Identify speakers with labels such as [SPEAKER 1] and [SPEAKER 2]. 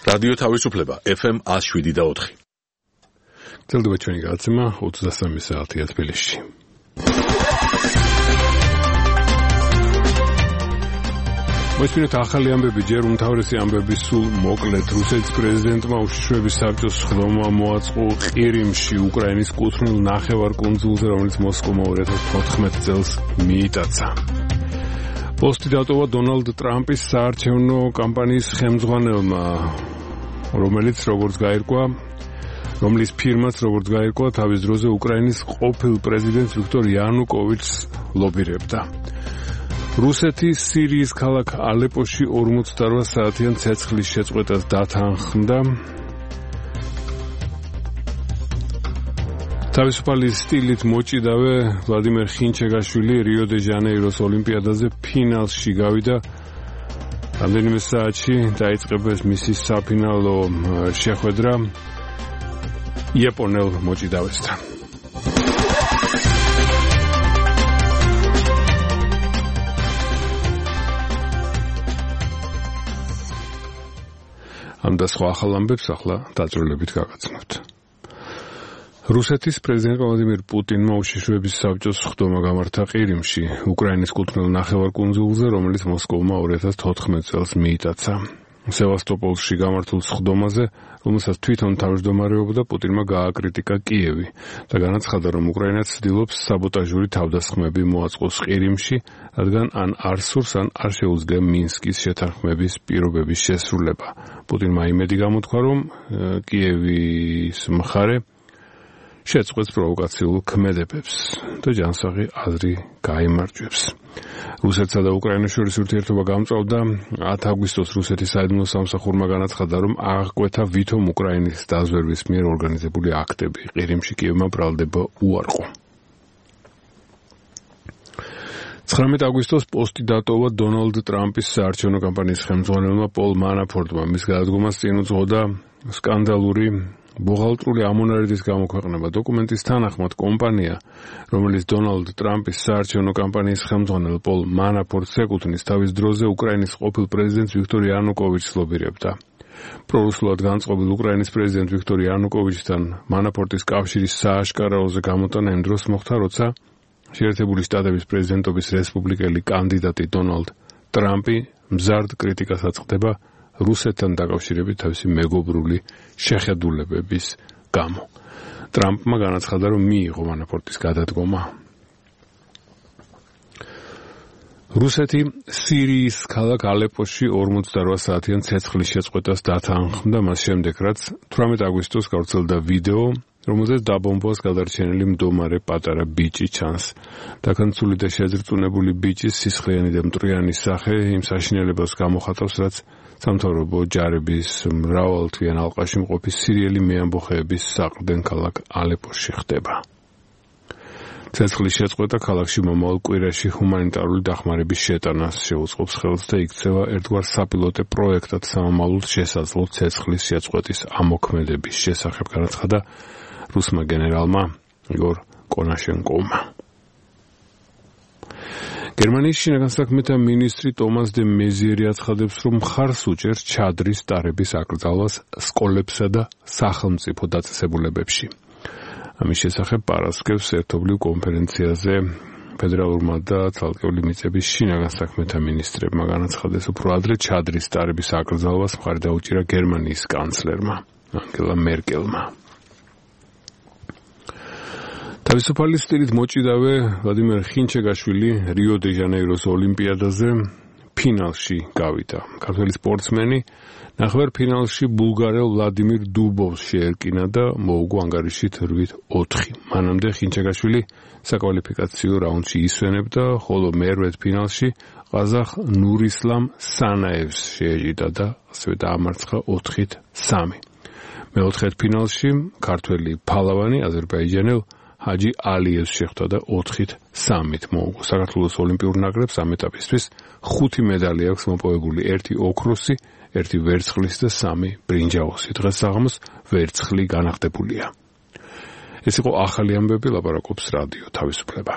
[SPEAKER 1] რადიო თავისუფლება FM 107.4.
[SPEAKER 2] გრძელდება ჩვენი გადაცემა 23 საათია თბილისში. მოისმინეთ ახალი ამბები, ჯერ უმთავრესი ამბები სულ მოკლედ. რუსეთის პრეზიდენტმა უშიშროების საბჭოს სხდომა მოაწყო ყირიმში, უკრაინის კუთვნილ ნახევარკუნძულზე, რომელიც მოსკოვმა 2014 წელს მიიტაცა. პოსტი დატოვა დონალდ ტრამპის საარჩევნო კამპანიის ხელმძღვანელმა, რომლის ფირმაც როგორც გაირკვა, თავის დროზე უკრაინის ყოფილ პრეზიდენტს ვიქტორ იანუკოვიჩს ლობირებდა. რუსეთი სირიის ქალაქ ალეპოში 48 საათიან ცეცხლის შეწყვეტას დათანხმდა. თავისუფალი სტილით მოჭიდავე ვლადიმერ ხინჩეგაშვილი რიო დე ჟანეიროს ოლიმპიადაზე ფინალში გავიდა. რამდენიმე საათში დაიწყებეს მისი საფინალო შეხვედრა იაპონელ მოჭიდავესთან. ამ და სხვა ახალ ამბებს ახლა დაწვრილებით გაგაცნობთ. რუსეთის პრეზიდენტ ვლადიმირ პუტინმა უშიშროების საბჭოს სხდომა გამართა ყირიმში, უკრაინის კუთვნილ ნახევარკუნძულზე, რომელიც მოსკოვმა 2014 წელს მიიტაცა. სევასტოპოლში გამართულ სხდომაზე, რომელსაც თვითონ თავმჯდომარეობდა, პუტინმა გააკრიტიკა კიევი და განაცხადა, რომ უკრაინა ცდილობს საბოტაჟური თავდასხმები მოაწყოს ყირიმში, რადგან ან არ სურს, ან არ შეუძლია მინსკის შეთანხმების პირობების შესრულება. პუტინმა იმედი გამოთქვა, რომ კიევის მხარე შეწყვეტს პროვოკაციულ ქმედებებს და ჯანსაღი აზრი გაიმარჯვებს. რუსეთსა და უკრაინას შორის ურთიერთობა გამწვავდა. 10 აგვისტოს რუსეთის საიდუმლო სამსახურმა განაცხადა, რომ აღკვეთა ვითომ უკრაინის დაზვერვის მიერ ორგანიზებული აქტები. ყირიმში კიევმა ბრალდება უარყო. 19 აგვისტოს პოსტი დატოვა დონალდ ტრამპის საარჩევნო კამპანიის ხელმძღვანელმა პოლ მანაფორტმა. მის გადადგომას წინ უძღოდა სკანდალური ბუღალტრული ამონარიდის გამოქვეყნება. დოკუმენტის თანახმად, კომპანია, რომელიც დონალდ ტრამპის საარჩევნო კამპანიის ხელმძღვანელ პოლ მანაფორტს ეკუთვნის, თავის დროზე უკრაინის ყოფილ პრეზიდენტს ვიქტორ იანუკოვიჩს ლობირებდა. პრორუსულად განწყობილ უკრაინის პრეზიდენტ ვიქტორ იანუკოვიჩთან მანაფორტის კავშირის სააშკარაოზე გამოტანა იმ დროს მოხდა, როცა შეერთებული შტატების პრეზიდენტობის რესპუბლიკელი კანდიდატი დონალდ ტრამპი მზარდ კრიტიკას აწყდება რუსეთთან დაკავშირებით თავისი მეგობრული შეხედულებების გამო. ტრამპმა განაცხადა, რომ მიიღო მანაფორტის გადადგომა. რუსეთი სირიის ქალაქ ალეპოში 48 საათიან ცეცხლის შეწყვეტას დათანხმდა, მას შემდეგ, რაც 18 აგვისტოს გავრცელდა ვიდეო, რომელზეც დაბომბვას გადარჩენილი მდომარე პატარა ბიჭი ჩანს. დაქანცული და შეზრწუნებული ბიჭის სისხლიანი და მტრიანი სახე იმ საშინელებას გამოხატავს, რაც სამთავრობო ჯარების მრავალთვიან ალყაში მყოფი სირიელი მეამბოხეების საყრდენ ქალაქ ალეპოში ხდება. ცეცხლის შეწყვეტა ქალაქში მომავალ კვირაში ჰუმანიტარული დახმარების შეტანას შეუწყობს ხელს და იქცევა ერთგვარ საპილოტე პროექტად სამომავლოდ შესაძლო ცეცხლის შეწყვეტის ამოქმედების შესახებ, განაცხადა რუსმა გენერალმა იგორ კონაშენკოვმა. გერმანიის შინაგან საქმეთა მინისტრი ტომას დე მეზიერი აცხადებს, რომ მხარს უჭერს ჩადრის ტარების აკრძალვას სკოლებსა და სახელმწიფო დაწესებულებებში. ამის შესახებ პარასკევს ერთობლივ კონფერენციაზე ფედერალურმა და ცალკეული მიწების შინაგან საქმეთა მინისტრებმა განაცხადეს, უფრო ადრე ჩადრის ტარების აკრძალვას მხარი დაუჭირა გერმანიის კანცლერმა ანგელა მერკელმა. თავისუფალი სტილით მოჭიდავე ვლადიმერ ხინჩეგაშვილი რიო დე ჟანეიროს ოლიმპიადაზე ფინალში გავიდა. ქართველი სპორტსმენი ნახევარფინალში ბულგარელ ვლადიმირ დუბოვს შეერკინა და მოუგო ანგარიშით 8-4. მანამდე ხინჩეგაშვილი საკვალიფიკაციო რაუნდში ისვენებდა, ხოლო მერვედ ფინალში ყაზახ ნურისლამ სანაევს შეეჯიდა და ასევე დაამარცხა 4-3. მეოთხედ ფინალში ქართველი ფალავანი აზერბაიჯანელ ჰაჯი ალიევს შეხვდა და 4-3 მოუგო. საქართველოს ოლიმპიურ ნაკრებს ამ ეტაპისთვის 5 მედალი აქვს მოპოვებული, 1 ოქროსი, 1 ვერცხლის და 3 ბრინჯაოსი. დღეს საღამოს ვერცხლი განახდებულია. ეს იყო ახალი ამბები, ლაპარაკობს რადიო თავისუფლება.